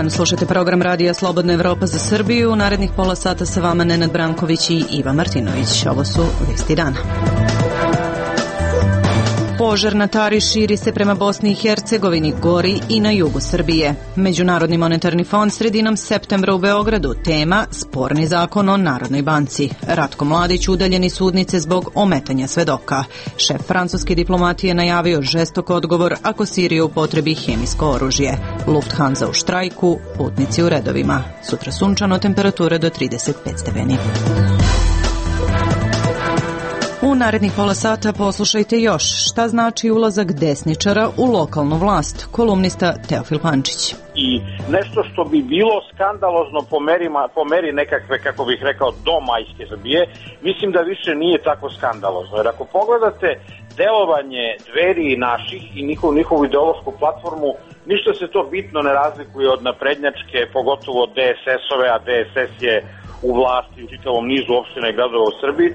dan, slušate program Radija Slobodna Evropa za Srbiju. U narednih pola sata sa vama Nenad Branković i Iva Martinović. Ovo su vesti dana. Požar na Tari širi se prema Bosni i Hercegovini, gori i na jugu Srbije. Međunarodni monetarni fond sredinom septembra u Beogradu. Tema sporni zakon o Narodnoj banci. Ratko Mladić udaljen iz sudnice zbog ometanja svedoka. Šef francuske diplomatije najavio žestok odgovor ako Sirija upotrebi hemijsko oružje. Lufthansa u štrajku, putnici u redovima. Sutra sunčano, temperature do 35 stepeni. U narednih pola sata poslušajte još šta znači ulazak desničara u lokalnu vlast. Kolumnista Teofil Pančić. I nešto što bi bilo skandalozno po meri nekakve, kako bih rekao, domajske Srbije, mislim da više nije tako skandalozno. Jer ako pogledate delovanje Dveri naših i njihovu ideološku platformu, ništa se to bitno ne razlikuje od naprednjačke, pogotovo od DSS-ove, a DSS je u vlasti u čitavom nizu opština i gradova u Srbiji.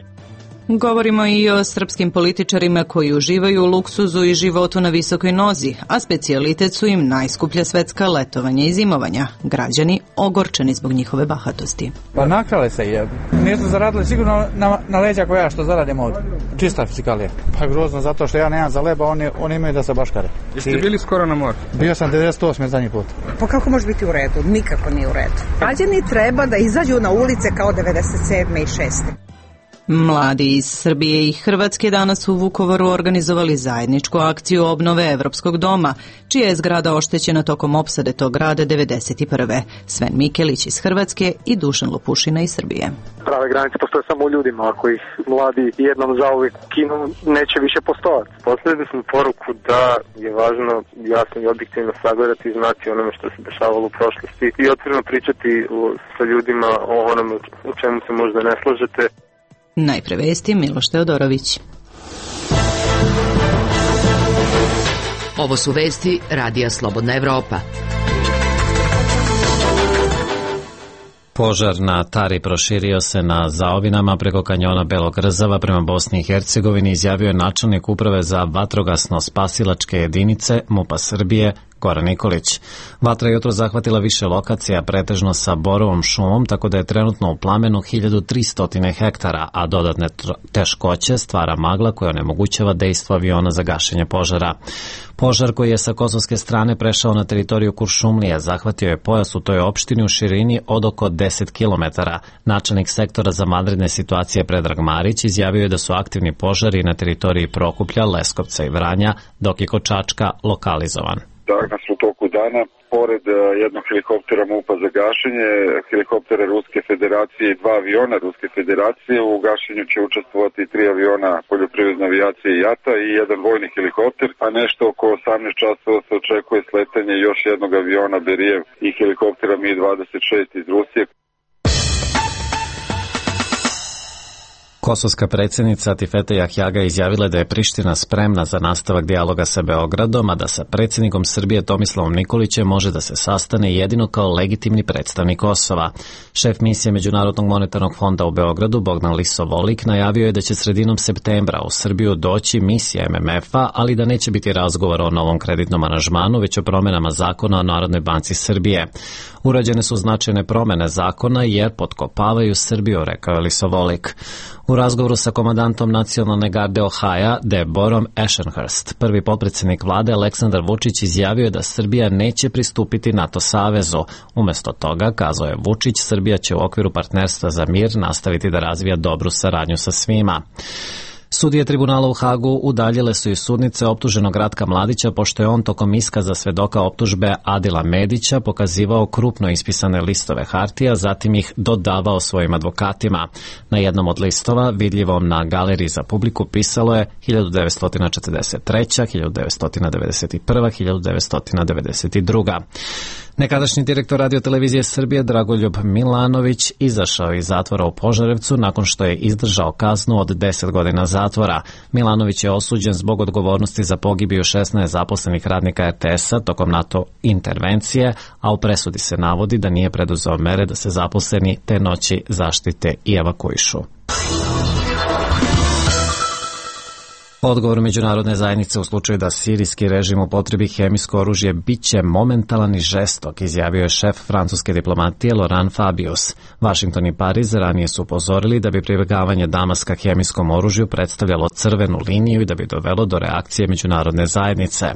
Govorimo i o srpskim političarima koji uživaju u luksuzu i životu na visokoj nozi, a specijalitet su im najskuplja svetska letovanja i zimovanja. Građani ogorčeni zbog njihove bahatosti. Pa nakrale se je. Nisu zaradili sigurno na leđa koja što zaradim ovdje. Čista fizikalija. Pa grozno zato što ja nemam za leba, oni imaju da se baškare. Jeste bili skoro na moru? Bio sam 98. zadnji put. Pa kako može biti u redu? Nikako nije u redu. Građani treba da izađu na ulice kao 97. i 6. Mladi iz Srbije i Hrvatske danas u Vukovaru organizovali zajedničku akciju obnove Evropskog doma, čija je zgrada oštećena tokom opsade tog grada 1991. Sven Mikelić iz Hrvatske i Dušan Lopušina iz Srbije. Prave granice postoje samo u ljudima, ako ih mladi jednom zauvijek kinu, neće više postojati. Posljedili smo poruku da je važno jasno i objektivno sagledati i znati onome što se dešavalo u prošlosti i otvoreno pričati sa ljudima o onome u čemu se možda ne slažete. Najpre vesti Miloš Teodorović. Ovo su vesti Radija Slobodna Evropa. Požar na Tari proširio se na zaovinama preko kanjona Belog Rzava prema Bosni i Hercegovini, izjavio je načelnik uprave za vatrogasno-spasilačke jedinice MUP-a Srbije Goran Nikolić. Vatra je jutro zahvatila više lokacija, pretežno sa borovom šumom, tako da je trenutno u plamenu 1300 hektara, a dodatne teškoće stvara magla koja onemogućava dejstvo aviona za gašenje požara. Požar koji je sa kosovske strane prešao na teritoriju Kuršumlije zahvatio je pojas u toj opštini u širini od oko 10 km. Načelnik sektora za vanredne situacije Predrag Marić izjavio je da su aktivni požari na teritoriji Prokuplja, Leskovca i Vranja, dok je kod Čačka lokalizovan. Danas u toku dana, pored jednog helikoptera MUP-a za gašenje, helikoptera Ruske federacije i 2 aviona Ruske federacije, u gašenju će učestvovati 3 aviona poljoprivredne avijacije JATA i jedan vojni helikopter, a nešto oko 18 časova se očekuje sletanje još jednog aviona Berijev i helikoptera Mi-26 iz Rusije. Kosovska predsjednica Atifete Jahjaga izjavila da je Priština spremna za nastavak dijaloga sa Beogradom, a da sa predsjednikom Srbije Tomislavom Nikolićem može da se sastane jedino kao legitimni predstavnik Kosova. Šef misije Međunarodnog monetarnog fonda u Beogradu Bogdan Lisovolik najavio je da će sredinom septembra u Srbiju doći misija MMF-a, ali da neće biti razgovora o novom kreditnom aranžmanu, već o promjenama zakona o Narodnoj banci Srbije. Urađene su značajne promjene zakona jer potkopavaju Srbiju, rekao je Lisovolik. U razgovoru sa komandantom nacionalne garde Ohaja, Deborom Ashenhurst, prvi potpredsjednik vlade Aleksandar Vučić izjavio je da Srbija neće pristupiti NATO savezu. Umjesto toga, kazao je Vučić, Srbija će u okviru partnerstva za mir nastaviti da razvija dobru saradnju sa svima. Sudije tribunala u Hagu udaljile su iz sudnice optuženog Ratka Mladića pošto je on tokom iskaza svedoka optužbe Adila Medića pokazivao krupno ispisane listove hartija, zatim ih dodavao svojim advokatima. Na jednom od listova, vidljivom na galeriji za publiku, pisalo je 1943, 1991, 1992. Nekadašnji direktor radiotelevizije Srbije Dragoljub Milanović izašao iz zatvora u Požarevcu nakon što je izdržao kaznu od 10 godina zatvora. Milanović je osuđen zbog odgovornosti za pogibiju 16 zaposlenih radnika RTS-a tokom NATO intervencije, a u presudi se navodi da nije preduzeo mere da se zaposleni te noći zaštite i evakuišu. Odgovor međunarodne zajednice u slučaju da sirijski režim upotrebi hemijsko oružje biće momentalan i žestok, izjavio je šef francuske diplomatije Laurent Fabius. Washington i Pariz ranije su upozorili da bi pribegavanje Damaska hemijskom oružju predstavljalo crvenu liniju i da bi dovelo do reakcije međunarodne zajednice.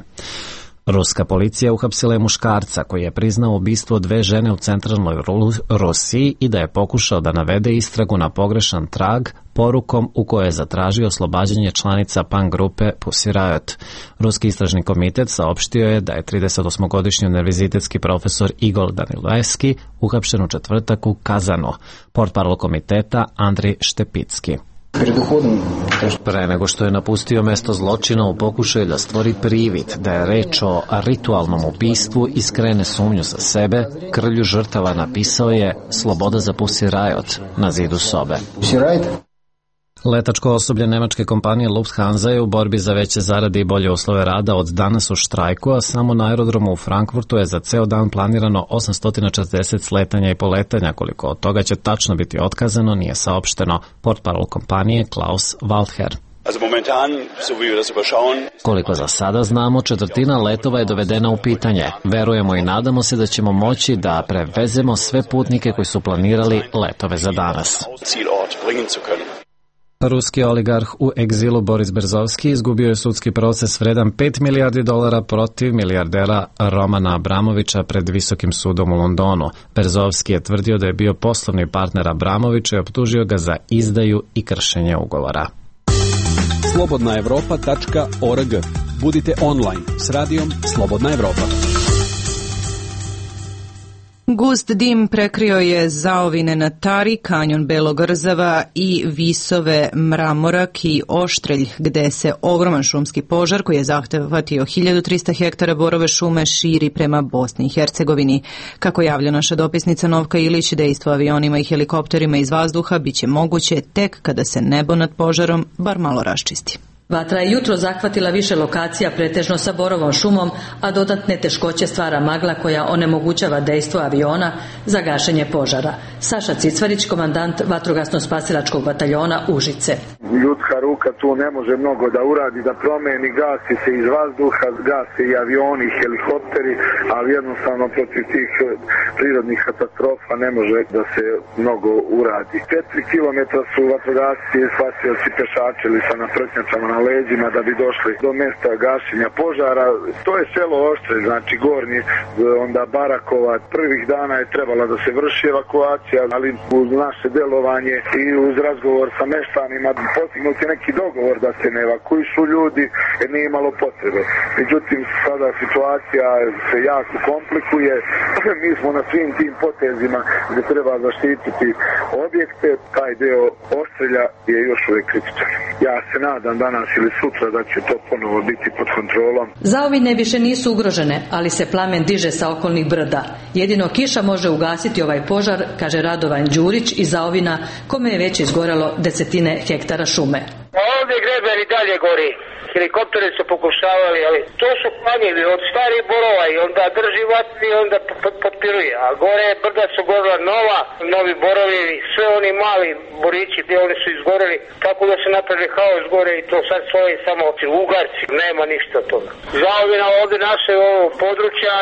Ruska policija uhapsila je muškarca koji je priznao ubistvo 2 žene u centralnoj Rusiji i da je pokušao da navede istragu na pogrešan trag porukom u kojoj je zatražio oslobađanje članica punk grupe Pussy Riot. Ruski istražni komitet saopštio je da je 38-godišnji univerzitetski profesor Igor Danilevski uhapšen u četvrtak u Kazanu. Portparol komiteta Andrij Štepicki. Pre nego što je napustio mesto zločina u pokušaju da stvori privid da je reč o ritualnom ubistvu i skrene sumnju sa sebe, krvlju žrtava napisao je "Sloboda za Pussy Riot" na zidu sobe. Letačko osoblje nemačke kompanije Lufthansa je u borbi za veće zarade i bolje uslove rada od danas u štrajku, a samo na aerodromu u Frankfurtu je za ceo dan planirano 840 sletanja i poletanja. Koliko od toga će tačno biti otkazano nije saopšteno. Portparol kompanije Klaus Waldherr. Koliko za sada znamo, četvrtina letova je dovedena u pitanje. Verujemo i nadamo se da ćemo moći da prevezemo sve putnike koji su planirali letove za danas. Ruski oligarh u egzilu Boris Berezovski izgubio je sudski proces vredan $5 milijardi protiv milijardera Romana Abramovića pred Visokim sudom u Londonu. Berezovski je tvrdio da je bio poslovni partner Abramovića i optužio ga za izdaju i kršenje ugovora. slobodnaevropa.org. Budite online s radijom Slobodna Evropa. Gust dim prekrio je zaovine na Tari, kanjon Belog Rzava i visove Mramorak i Oštrelj, gde se ogroman šumski požar koji je zahvatio 1300 hektara borove šume širi prema Bosni i Hercegovini. Kako javlja naša dopisnica Novka Ilić, dejstvo avionima i helikopterima iz vazduha biće moguće tek kada se nebo nad požarom bar malo raščisti. Vatra je jutro zahvatila više lokacija pretežno sa borovom šumom, a dodatne teškoće stvara magla koja onemogućava dejstvo aviona za gašenje požara. Saša Cicvarić, komandant vatrogasno-spasilačkog bataljona Užice. Ljudska ruka tu ne može mnogo da uradi, da promeni, gasi se iz vazduha, gase i avioni i helikopteri, ali jednostavno protiv tih prirodnih katastrofa ne može da se mnogo uradi. 4 kilometra su vatrogasci, spasioci pešačili sa naprtnjačama na leđima da bi došli do mesta gašenja požara. To je selo Oštrelj, znači Gornji, onda Barakova. Prvih dana je trebala da se vrši evakuacija, ali uz naše delovanje i uz razgovor sa meštanima postignut je neki dogovor da se ne evakuišu ljudi jer nije imalo potrebe. Međutim, sada situacija se jako komplikuje. Mi smo na svim tim potezima gde treba zaštititi objekte. Taj deo Oštrelja je još uvek kritičan. Ja se nadam danas ili sutra da će to ponovo biti pod kontrolom. Zaovine više nisu ugrožene, ali se plamen diže sa okolnih brda. Jedino kiša može ugasiti ovaj požar, kaže Radovan Đurić iz Zaovina, kome je već izgorelo desetine hektara šume. Ovdje greber i dalje gori. Helikopteri su pokušavali, ali to su planjevi od starih borova i onda drži vatru i onda potpiruje. A gore brda su gorila novi borovi, sve oni mali borići gdje oni su izgoreli, tako da se napravili haos gore i to sad svoje samo ugarci, nema ništa od toga. Zaovina ovdje naše ovo područja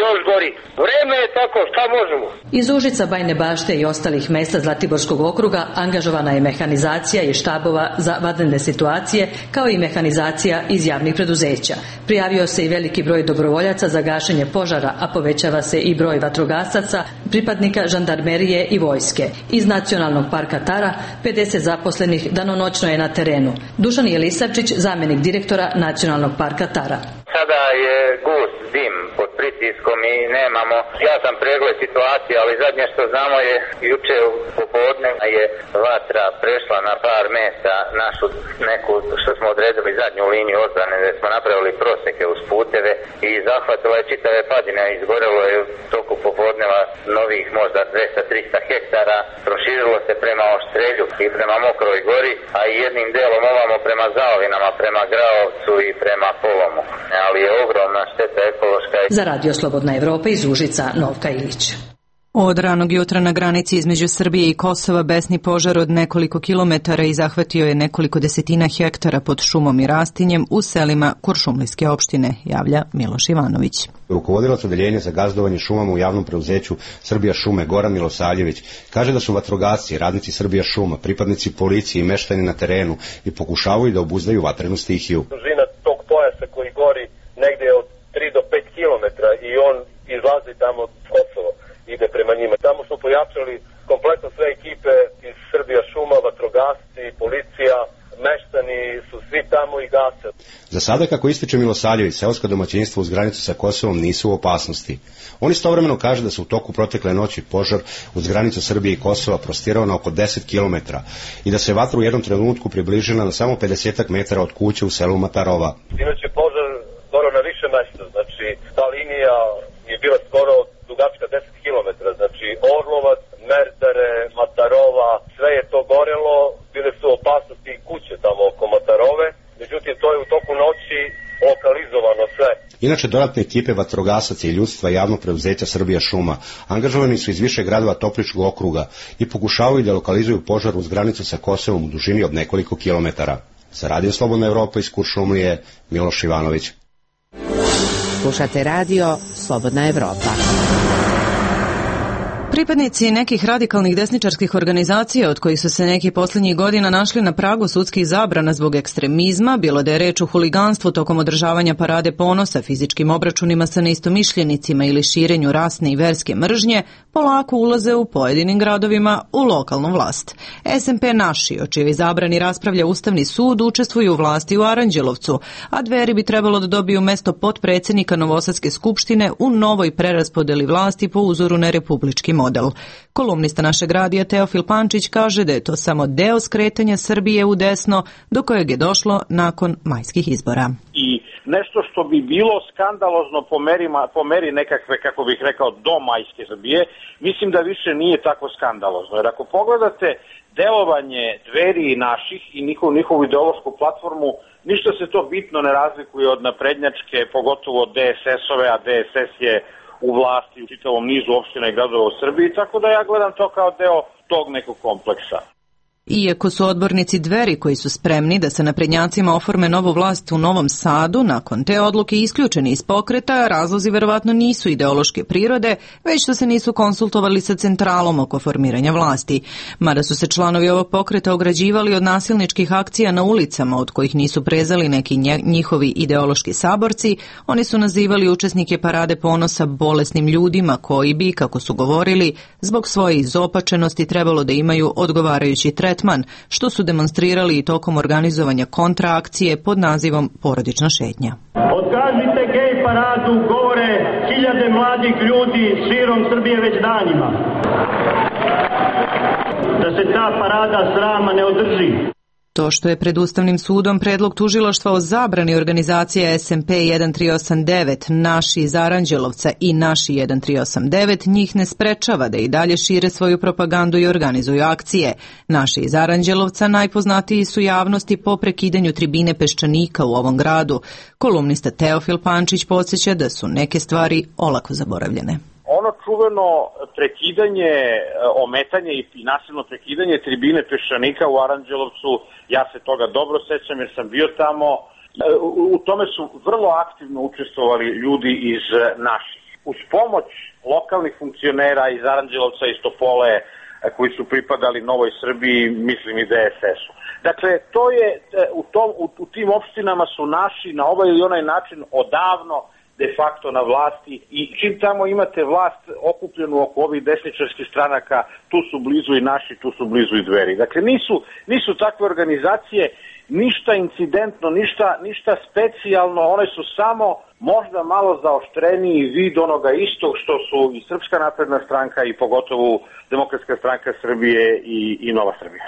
još gori. Vreme je tako, šta možemo? Iz Užica, Bajne Bašte i ostalih mesta Zlatiborskog okruga angažovana je mehanizacija i štabova za vanredne situacije, kao i mehanizacija iz javnih preduzeća. Prijavio se i veliki broj dobrovoljaca za gašenje požara, a povećava se i broj vatrogasaca, pripadnika žandarmerije i vojske. Iz Nacionalnog parka Tara 50 zaposlenih danonoćno je na terenu. Dušan Jelisavčić, zamjenik direktora Nacionalnog parka Tara. Sada je gust dim pod pritiskom i nemamo jasan pregled situacije, ali zadnje što znamo je juče u popodne je vatra prešla na par mesta našu neku što smo odredili zadnju liniju odbrane gdje smo napravili proseke uz puteve i zahvatila je čitave padine, izgorelo je u toku popodneva novih možda 200-300 hektara, proširilo se prema Oštrelju i prema Mokroj gori, a i jednim delom ovamo prema Zaovinama, prema Graovcu i prema Polomu. Ali je ogromna šteta ekološka. Za Radio Slobodna Evropa iz Užica, Novka Ilić. Od ranog jutra na granici između Srbije i Kosova besni požar od nekoliko kilometara i zahvatio je nekoliko desetina hektara pod šumom i rastinjem u selima Kuršumlijske opštine, javlja Miloš Ivanović. Rukovodilac odeljenja za gazdovanje šumama u javnom preuzeću Srbija šume Goran Milosavljević kaže da su vatrogasci, radnici Srbija šuma, pripadnici policije i meštani na terenu i pokušavaju da obuzdaju vatrenu stihiju. Dužina tog pojasa koji gori negde od 3 do 5 kilometra i on izlazi tamo od Kosova, ide prema njima. Tamo smo pojačali kompletno sve ekipe iz Srbija šuma, vatrogasci, policija, meštani su svi tamo i gase. Za sada, kako ističe Milosavljević, seoska domaćinstva uz granicu sa Kosovom nisu u opasnosti. On istovremeno kaže da se u toku protekle noći požar uz granicu Srbije i Kosova prostirao na oko 10 km i da se vatra u jednom trenutku približila na samo 50 metara od kuće u selu Matarova. Inače požar skoro na više mesta, znači ta linija je bila skoro dugačka 10 km, znači Orlovac, Merdare, Matarova, sve je to gorelo, bile su opasnosti i kuće tamo oko Matarove, međutim to je u toku noći lokalizovano sve. Inače, dodatne ekipe vatrogasaca i ljudstva javnog preuzeća Srbija šuma angažovani su iz više gradova Topličkog okruga i pokušavaju da lokalizuju požar uz granicu sa Kosovom u dužini od nekoliko kilometara. Za Radio Slobodna Evropa iz Kuršumlije, Miloš Ivanović. Slušate radio Slobodna Evropa. Pripadnici nekih radikalnih desničarskih organizacija, od kojih su se neki posljednjih godina našli na pragu sudskih zabrana zbog ekstremizma, bilo da je reč o huliganstvu tokom održavanja parade ponosa, fizičkim obračunima sa neistomišljenicima ili širenju rasne i verske mržnje, polako ulaze u pojedinim gradovima u lokalnu vlast. SMP Naši, o čijoj zabrani raspravlja Ustavni sud, učestvuju u vlasti u Aranđelovcu, a Dveri bi trebalo da dobiju mesto potpredsjednika Novosadske skupštine u novoj preraspodeli vlasti po uzoru na republički model. Kolumnista našeg radija Teofil Pančić kaže da je to samo deo skretanja Srbije u desno do kojeg je došlo nakon majskih izbora. I nešto što bi bilo skandalozno po meri nekakve, kako bih rekao, do majske Srbije, mislim da više nije tako skandalozno. Jer ako pogledate delovanje Dveri i Naših i njihovu ideološku platformu, ništa se to bitno ne razlikuje od naprednjačke, pogotovo od DSS-ove, a DSS je u vlasti u čitavom nizu opština i gradova u Srbiji, tako da ja gledam to kao deo tog nekog kompleksa. Iako su odbornici Dveri koji su spremni da sa naprednjacima oforme novu vlast u Novom Sadu, nakon te odluke isključeni iz pokreta, razlozi verovatno nisu ideološke prirode, već što se nisu konsultovali sa centralom oko formiranja vlasti. Mada su se članovi ovog pokreta ograđivali od nasilničkih akcija na ulicama, od kojih nisu prezali neki njihovi ideološki saborci, oni su nazivali učesnike parade ponosa bolesnim ljudima koji bi, kako su govorili, zbog svoje izopačenosti trebalo da imaju odgovarajući tretman, što su demonstrirali i tokom organizovanja kontraakcije pod nazivom Porodična šetnja. Otkažite gej paradu, govore hiljade mladih ljudi širom Srbije već danima. Da se ta parada srama ne održi. To što je pred Ustavnim sudom predlog tužilaštva o zabrani organizacija SMP 1389, Naši iz Aranđelovca i Naši 1389 njih ne sprečava da i dalje šire svoju propagandu i organizuju akcije. Naši iz Aranđelovca najpoznatiji su javnosti po prekidanju tribine Peščanika u ovom gradu. Kolumnista Teofil Pančić podsjeća da su neke stvari olako zaboravljene. Ono čuveno prekidanje, ometanje i nasilno prekidanje tribine Peščanika u Aranđelovcu, ja se toga dobro sećam jer sam bio tamo, u tome su vrlo aktivno učestvovali ljudi iz Naših. Uz pomoć lokalnih funkcionera iz Aranđelovca i Topole koji su pripadali Novoj Srbiji, mislim i DSS-u. Dakle, to je, u tim opštinama su Naši na ovaj ili onaj način odavno de facto na vlasti i čim tamo imate vlast okupljenu oko ovih desničarskih stranaka, tu su blizu i Naši, tu su blizu i Dveri. Dakle, nisu takve organizacije ništa incidentno, ništa specijalno, one su samo možda malo zaoštreniji vid onoga istog što su i Srpska napredna stranka i pogotovo Demokratska stranka Srbije i Nova Srbija.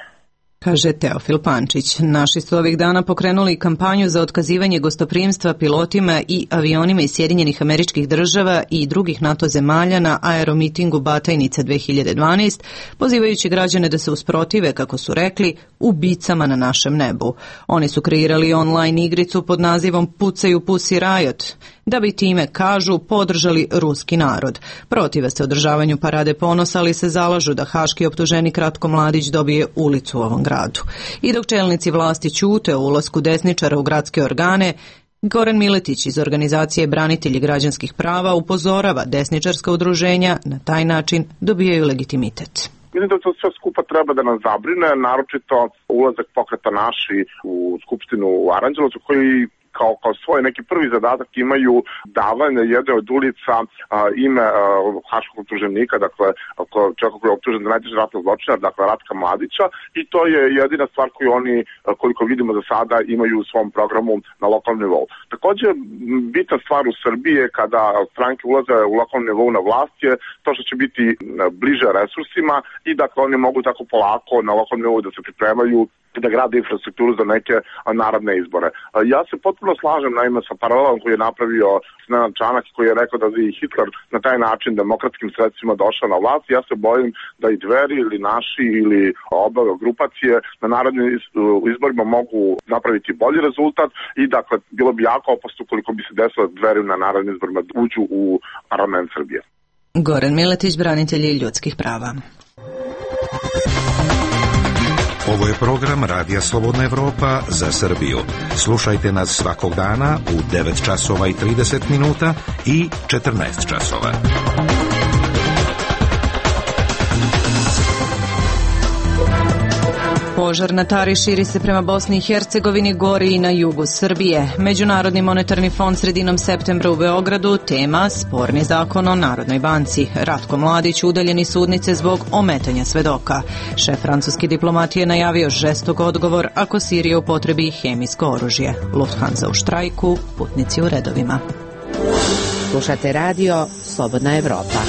kaže Teofil Pančić. Naši su ovih dana pokrenuli kampanju za otkazivanje gostoprimstva pilotima i avionima iz Sjedinjenih Američkih Država i drugih NATO zemalja na aeromitingu Batajnica 2012, pozivajući građane da se usprotive, kako su rekli, ubicama na našem nebu. Oni su kreirali online igricu pod nazivom Pucaju Pussy Riot, da bi time, kažu, podržali ruski narod. Protive se održavanju parade ponosa, ali se zalažu da haški optuženik Ratko Mladić dobije ulicu u ovom gradu. I dok čelnici vlasti ćute o ulasku desničara u gradske organe, Goran Miletić iz organizacije Branitelji građanskih prava upozorava desničarska udruženja na taj način dobijaju legitimitet. Mislim da to sve skupa treba da nas zabrine, naročito ulazak Pokreta Naši u Skupštinu u Aranđelovcu, koji kao svoj neki prvi zadatak imaju davanje jedne od ulica ime haškog optuženika, dakle čovjeka koji je optužen za najteži ratni zločinar, dakle Ratka Mladića, i to je jedina stvar koju oni, koliko vidimo za sada, imaju u svom programu na lokalnom nivou. Također, bitna stvar u Srbiji je kada stranke ulaze u lokalnom nivou na vlast je to što će biti bliže resursima i dakle oni mogu tako polako na lokalnom nivou da se pripremaju da grade infrastrukturu za neke narodne izbore. Ja se potpuno slažem naime sa paralelom koji je napravio Nenad Čanak, koji je rekao da je Hitler na taj način demokratskim sredstvima došao na vlast. Ja se bojim da i Dveri ili naši ili oba grupacije na narodnim izborima mogu napraviti bolji rezultat i dakle bilo bi jako opasno koliko bi se desilo Dveri na narodnim izborima uđu u parlament Srbije. Goran Miletić, branitelji ljudskih prava. Ovo je program Radija Slobodna Evropa za Srbiju. Slušajte nas svakog dana u 9 časova i 30 minuta i 14 časova. Požar na Tari širi se prema Bosni i Hercegovini, gori i na jugu Srbije. Međunarodni monetarni fond sredinom septembra u Beogradu, tema sporni zakon o Narodnoj banci. Ratko Mladić udaljen iz sudnice zbog ometanja svedoka. Šef francuske diplomatije najavio žestok odgovor ako Sirija upotrebi hemijsko oružje. Lufthansa u štrajku, putnici u redovima. Slušate radio Slobodna Evropa.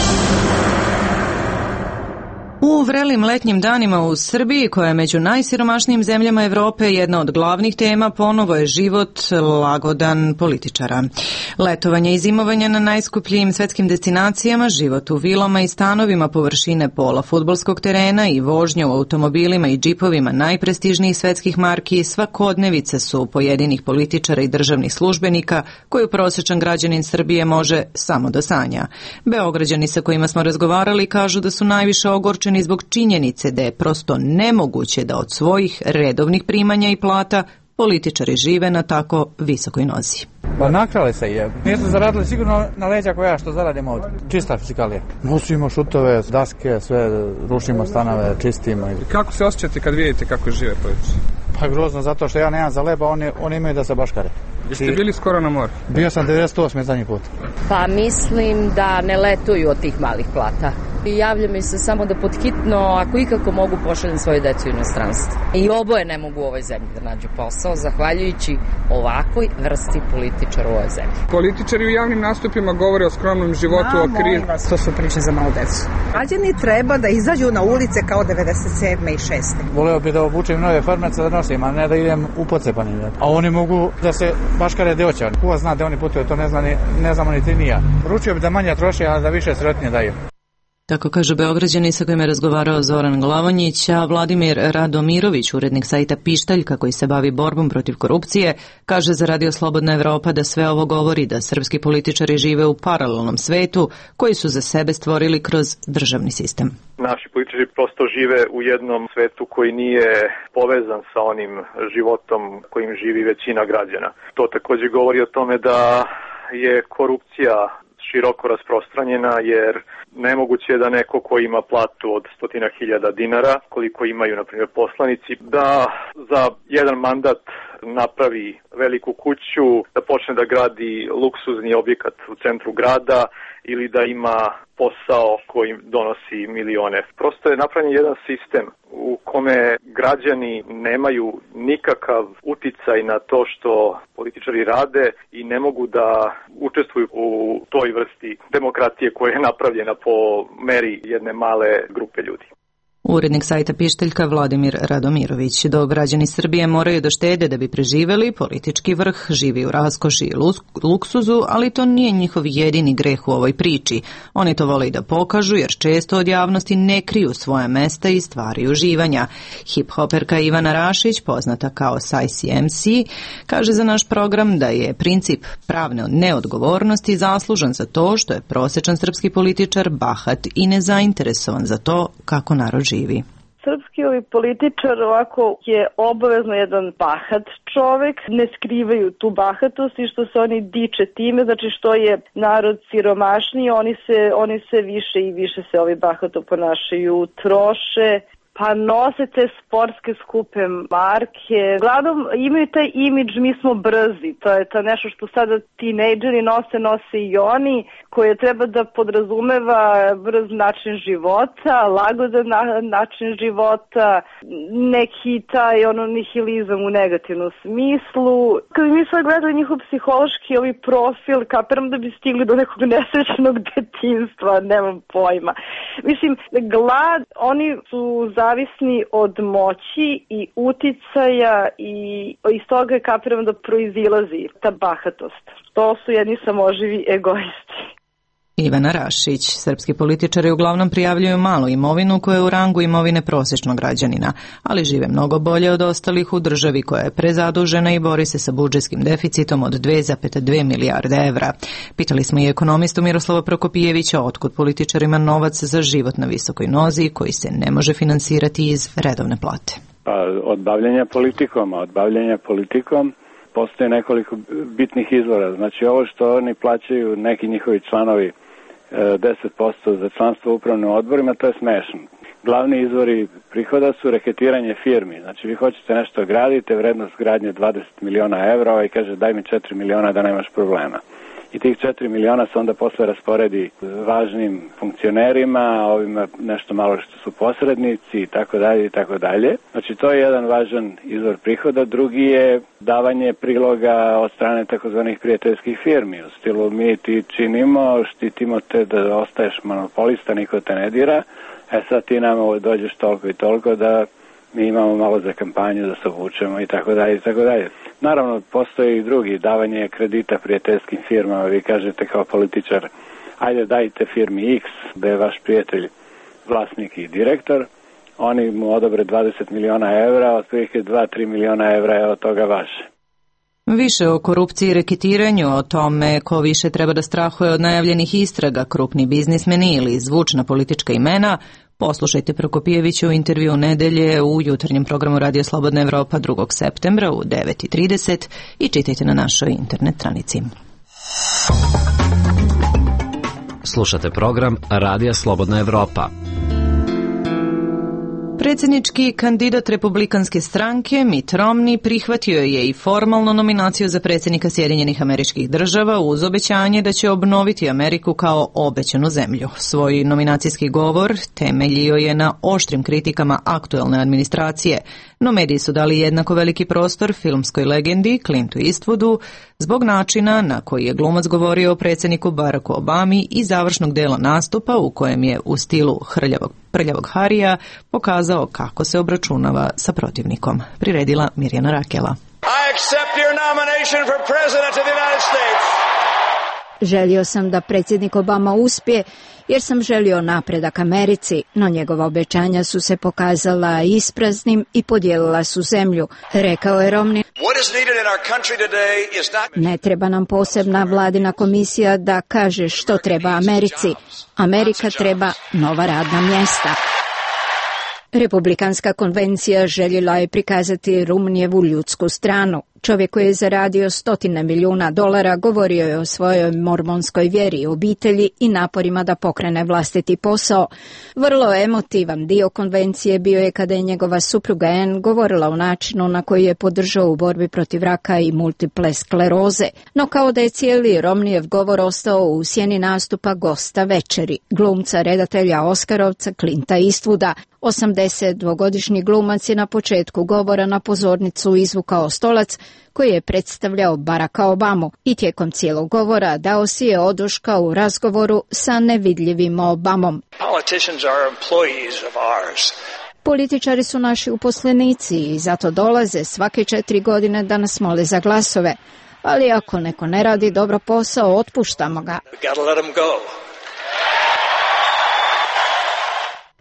U vrelim letnjim danima u Srbiji, koja je među najsiromašnijim zemljama Evrope, jedna od glavnih tema ponovo je život lagodan političara. Letovanje i zimovanje na najskupljijim svetskim destinacijama, život u vilama i stanovima površine pola fudbalskog terena i vožnja u automobilima i džipovima najprestižnijih svetskih marki svakodnevice su pojedinih političara i državnih službenika koju prosječan građanin Srbije može samo da sanja. Beograđani sa kojima smo razgovarali kažu da su najviše ogorčeni zbog činjenice da je prosto nemoguće da od svojih redovnih primanja i plata političari žive na tako visokoj nozi. Pa nakrali se je. Nisu zaradili sigurno na leđa koja što zaradimo ovdje. Čista fizikalija. Nosimo šutove, daske, sve rušimo stanove, čistimo. Kako se osjećate kad vidite kako žive političari? Pa grozno, zato što ja nemam za leba, oni imaju da se baškare. Jeste bili skoro na moru? Bio sam 98. zadnji put. Pa mislim da ne letuju od tih malih plata. Javlja mi se samo da podhitno, ako ikako mogu, pošaljem svoju decu u inostranstvo. I oboje ne mogu u ovoj zemlji da nađu posao, zahvaljujući ovakvoj vrsti političara u ovoj zemlji. Političari u javnim nastupima govore o skromnom životu, o krizi. To su priče za malu decu. Građani treba da izađu na ulice kao 97. i 6. Voleo bi da obučem nove farmace da nosim, a ne da idem u pocepanim. A oni mogu da se baškare deoća. Ko zna da oni putuju, to ne znamo ni ti ni ja. Poručio bi da manje troše, a da više sretnije daju. Tako kaže Beograđani sa kojim je razgovarao Zoran Glavonjić, a Vladimir Radomirović, urednik sajta Pištaljka koji se bavi borbom protiv korupcije, kaže za Radio Slobodna Evropa da sve ovo govori da srpski političari žive u paralelnom svetu koji su za sebe stvorili kroz državni sistem. Naši političari prosto žive u jednom svetu koji nije povezan sa onim životom kojim živi većina građana. To također govori o tome da je korupcija široko rasprostranjena, jer nemoguće je da neko ko ima platu od 100.000 dinara, koliko imaju na primjer poslanici, da za jedan mandat napravi veliku kuću, da počne da gradi luksuzni objekat u centru grada ili da ima posao koji donosi milione. Prosto je napravljen jedan sistem u kome građani nemaju nikakav uticaj na to što političari rade i ne mogu da učestvuju u toj vrsti demokratije koja je napravljena po meri jedne male grupe ljudi. Urednik sajta Pišteljka Vladimir Radomirović. Dok građani Srbije moraju da štede da bi preživeli, politički vrh živi u raskoši i luksuzu, ali to nije njihov jedini greh u ovoj priči. Oni to vole i da pokažu, jer često od javnosti ne kriju svoja mesta i stvari uživanja. Hip-hoperka Ivana Rašić, poznata kao Sajsi MC, kaže za naš program da je princip pravne neodgovornosti zaslužan za to što je prosječan srpski političar bahat i nezainteresovan za to kako narod živi. Srpski političar ovako je obavezno jedan bahat čovek, ne skrivaju tu bahatost i što se oni diče time, znači što je narod siromašniji, oni se više i više se ovi bahato ponašaju, troše, pa nose te sportske skupe marke. Uglavnom imaju taj imidž, mi smo brzi, to je to nešto što sada tinejdžeri nose i oni, koje treba da podrazumeva brz način života, lagodan način života, neki taj nihilizam u negativnom smislu. Kad mi sad gledali njihov psihološki profil, kapiram da bi stigli do nekog nesrećnog detinjstva, nemam pojma. Mislim, glad, oni su zavisni od moći i uticaja i iz toga kapiram da proizilazi ta bahatost. To su jedni samoživi egoisti. Ivana Rašić. Srpski političari uglavnom prijavljuju malu imovinu koja je u rangu imovine prosječnog građanina, ali žive mnogo bolje od ostalih u državi koja je prezadužena i bori se sa budžetskim deficitom od 2,2 milijarde evra. Pitali smo i ekonomistu Miroslava Prokopijevića otkud političarima novac za život na visokoj nozi koji se ne može finansirati iz redovne plate. Od bavljenja politikom postoje nekoliko bitnih izvora. Znači ovo što oni plaćaju neki njihovi članovi 10% za članstvo u upravnim odborima, to je smešno. Glavni izvori prihoda su reketiranje firmi. Znači vi hoćete nešto gradite, vrednost gradnje 20 miliona evra i kaže daj mi 4 miliona da nemaš problema. I tih 4 miliona se onda posle rasporedi važnim funkcionerima, ovima nešto malo što su posrednici i tako dalje i tako dalje. Znači to je jedan važan izvor prihoda. Drugi je davanje priloga od strane takozvanih prijateljskih firmi. U stilu mi ti činimo, štitimo te da ostaješ monopolista, niko te ne dira. Sad ti nam dođeš toliko i toliko da mi imamo malo za kampanju da se obučemo i tako dalje i tako dalje. Naravno, postoji i drugi, davanje kredita prijateljskim firmama. Vi kažete kao političar, ajde dajte firmi X, da je vaš prijatelj vlasnik i direktor, oni mu odobre 20 miliona evra, otprilike 2-3 miliona evra je od toga vaše. Više o korupciji i reketiranju, o tome ko više treba da strahuje od najavljenih istraga, krupni biznismeni ili zvučna politička imena, poslušajte Prokopijevića u intervju nedelje u jutarnjem programu Radio Slobodna Evropa 2. septembra u 9:30 i čitajte na našoj internet stranici. Slušate program Radija Slobodna Evropa. Predsjednički kandidat Republikanske stranke Mitt Romney prihvatio je i formalnu nominaciju za predsjednika Sjedinjenih Američkih Država uz obećanje da će obnoviti Ameriku kao obećanu zemlju. Svoj nominacijski govor temeljio je na oštrim kritikama aktuelne administracije, no mediji su dali jednako veliki prostor filmskoj legendi Clintu Eastwoodu zbog načina na koji je glumac govorio o predsjedniku Baracku Obami i završnog dela nastupa u kojem je u stilu prljavog Harija pokazao kako se obračunava sa protivnikom. Priredila Mirjana Rakela. I accept your nomination for president of the United States. Želio sam da predsjednik Obama uspije jer sam želio napredak Americi, no njegova obećanja su se pokazala ispraznim i podijelila su zemlju, rekao je Romney. Ne treba nam posebna vladina komisija da kaže što treba Americi. Amerika treba nova radna mjesta. Republikanska konvencija željela je prikazati Romneyevu ljudsku stranu. Čovjek koji je zaradio $100 milijuna govorio je o svojoj mormonskoj vjeri i obitelji i naporima da pokrene vlastiti posao. Vrlo emotivan dio konvencije bio je kada je njegova supruga Ann govorila o načinu na koji je podržao u borbi protiv raka i multiple skleroze. No kao da je cijeli Romneyev govor ostao u sjeni nastupa gosta večeri, glumca redatelja Oskarovca Clinta Eastwooda. 82-godišnji glumac je na početku govora na pozornicu izvukao stolac koji je predstavljao Baracka Obamu i tijekom cijelog govora dao si je oduška u razgovoru sa nevidljivim Obamom. Političari su naši uposlenici i zato dolaze svake 4 godine da nas mole za glasove, ali ako neko ne radi dobro posao, otpuštamo ga.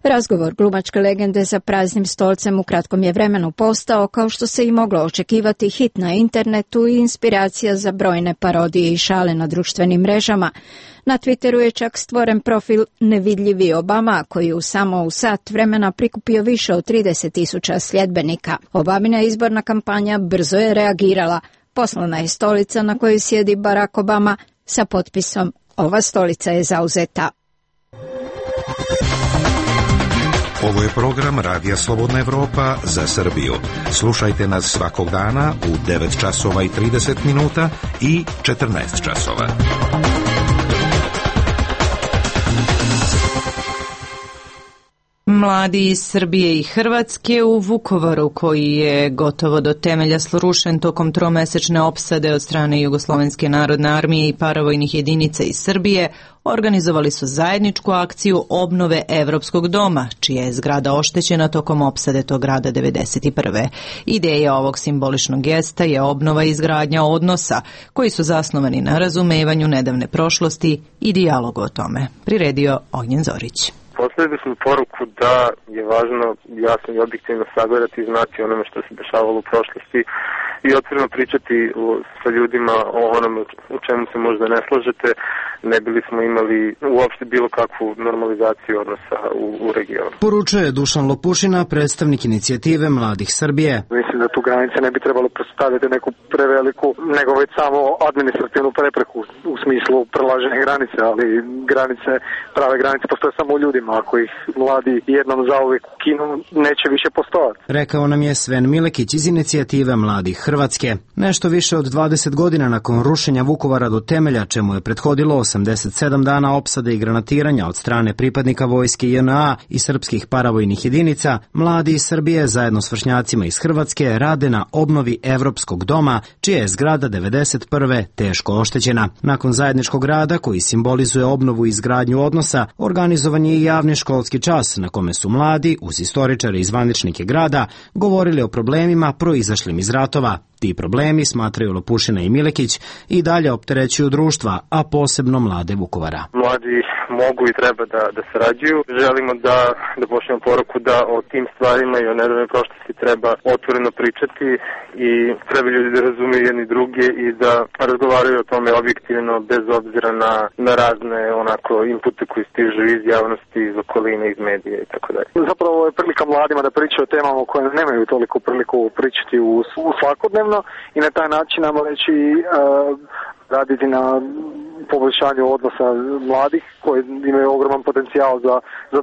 Razgovor glumačke legende za praznim stolcem u kratkom je vremenu postao, kao što se i moglo očekivati, hit na internetu i inspiracija za brojne parodije i šale na društvenim mrežama. Na Twitteru je čak stvoren profil Nevidljivi Obama, koji u samo sat vremena prikupio više od 30.000 sljedbenika. Obamina izborna kampanja brzo je reagirala. Poslana je stolica na kojoj sjedi Barack Obama sa potpisom "Ova stolica je zauzeta". Ovo je program Radija Slobodna Evropa za Srbiju. Slušajte nas svakog dana u 9 časova i 30 minuta i 14 časova. Mladi iz Srbije i Hrvatske u Vukovaru, koji je gotovo do temelja srušen tokom tromesečne opsade od strane Jugoslovenske narodne armije i paravojnih jedinica iz Srbije, organizovali su zajedničku akciju obnove Evropskog doma, čija je zgrada oštećena tokom opsade tog grada 1991. Ideja ovog simboličnog gesta je obnova i izgradnja odnosa, koji su zasnovani na razumevanju nedavne prošlosti i dijalogu o tome. Priredio Ognjen Zorić. Poslali smo poruku da je važno jasno i objektivno sagledati i znati onome što se dešavalo u prošlosti i otvoreno pričati sa ljudima o onome u čemu se možda ne slažete, ne bili smo imali uopšte bilo kakvu normalizaciju odnosa u regionu. Poručuje Dušan Lopušina, predstavnik inicijative Mladih Srbije. Mislim da tu granice ne bi trebalo predstavljati neku preveliku, nego već samo administrativnu prepreku u smislu prelaženja granice, ali granice, prave granice postoje samo u ljudima. Ako ih mladi jednom zauvijek ukinu, neće više postojati. Rekao nam je Sven Milekić iz inicijative Mladih Hrvatske. Nešto više od 20 godina nakon rušenja Vukovara do temelja, čemu je prethodilo 87 dana opsade i granatiranja od strane pripadnika vojske JNA i srpskih paravojnih jedinica, mladi iz Srbije zajedno s vršnjacima iz Hrvatske rade na obnovi Evropskog doma, čija je zgrada 1991. teško oštećena. Nakon zajedničkog rada, koji simbolizuje obnovu i izgradnju odnosa, organizovan je i javni školski čas na kome su mladi, uz istoričare i zvaničnike grada, govorili o problemima proizašlim iz ratova. Ti problemi, smatraju Lopušina i Milekić, i dalje opterećuju društva, a posebno mlade Vukovara. Mladi mogu i treba da sarađuju. Želimo da pošljemo poruku da o tim stvarima i o nedavnoj prošlosti treba otvoreno pričati i treba ljudi da razumiju jedni druge i da razgovaraju o tome objektivno, bez obzira na razne inpute koji stižu iz javnosti, iz okoline, iz medija i tako dalje. Zapravo je prilika mladima da pričaju o temama o kojima nemaju toliko priliku pričati u svakodnevno i na taj način nam reći raditi na poboljšanju odnosa mladih koji imaju ogroman potencijal za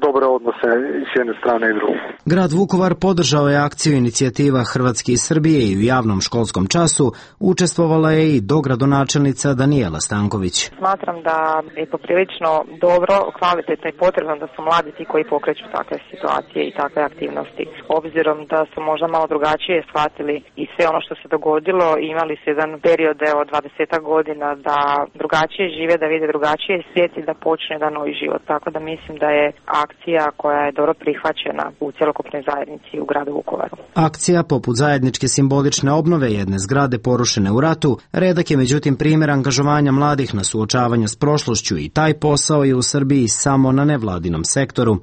dobre odnose s jedne strane i druge. Grad Vukovar podržao je akciju inicijativa Hrvatske i Srbije i u javnom školskom času učestvovala je i dogradonačelnica Danijela Stanković. Smatram da je poprilično dobro, kvalitetno i potrebno da su mladi ti koji pokreću takve situacije i takve aktivnosti. Obzirom da su možda malo drugačije shvatili i sve ono što se dogodilo, imali su jedan period od 20 godina da drugačije žive, da vide drugačije svijet i da počne jedan novi život. Tako da mislim da je akcija koja je dobro prihvaćena u cjelokupnoj zajednici u gradu Vukovaru. Akcija poput zajedničke simbolične obnove jedne zgrade porušene u ratu redak je međutim primjer angažovanja mladih na suočavanju s prošlošću i taj posao je u Srbiji samo na nevladinom sektoru.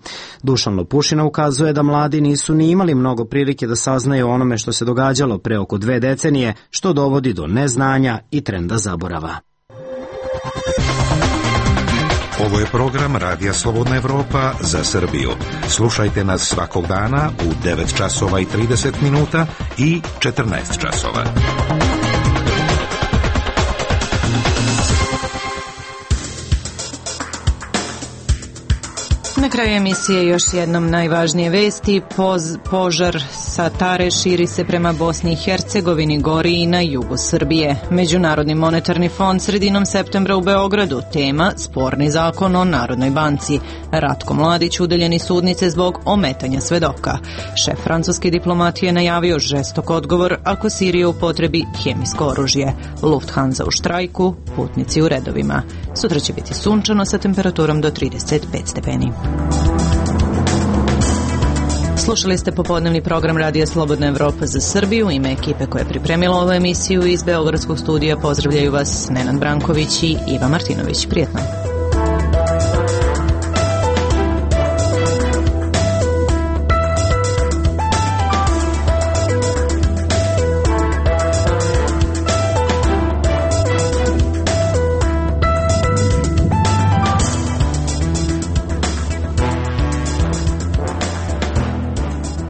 Dušan Lopušina ukazuje da mladi nisu ni imali mnogo prilike da saznaju onome što se događalo pre oko 2 decenije, što dovodi do neznanja i trenda zaborava. Ovo je program Radija Slobodna Evropa za Srbiju. Slušajte nas svakog dana u 9 časova i 30 minuta i 14 časova. Na kraju emisije još jednom najvažnije vesti. Požar sa Tare širi se prema Bosni i Hercegovini, gori i na jugu Srbije. Međunarodni monetarni fond sredinom septembra u Beogradu. Tema sporni zakon o Narodnoj banci. Ratko Mladić udaljen iz sudnice zbog ometanja svedoka. Šef francuske diplomatije najavio žestok odgovor ako Sirija upotrebi hemijsko oružje. Lufthansa u štrajku, putnici u redovima. Sutra će biti sunčano sa temperaturom do 35 stepeni. Slušali ste popodnevni program Radija Slobodna Evropa za Srbiju. Ime ekipe koja je pripremila ovu emisiju iz Beogradskog studija pozdravljaju vas Nenad Branković i Iva Martinović. Prijetno.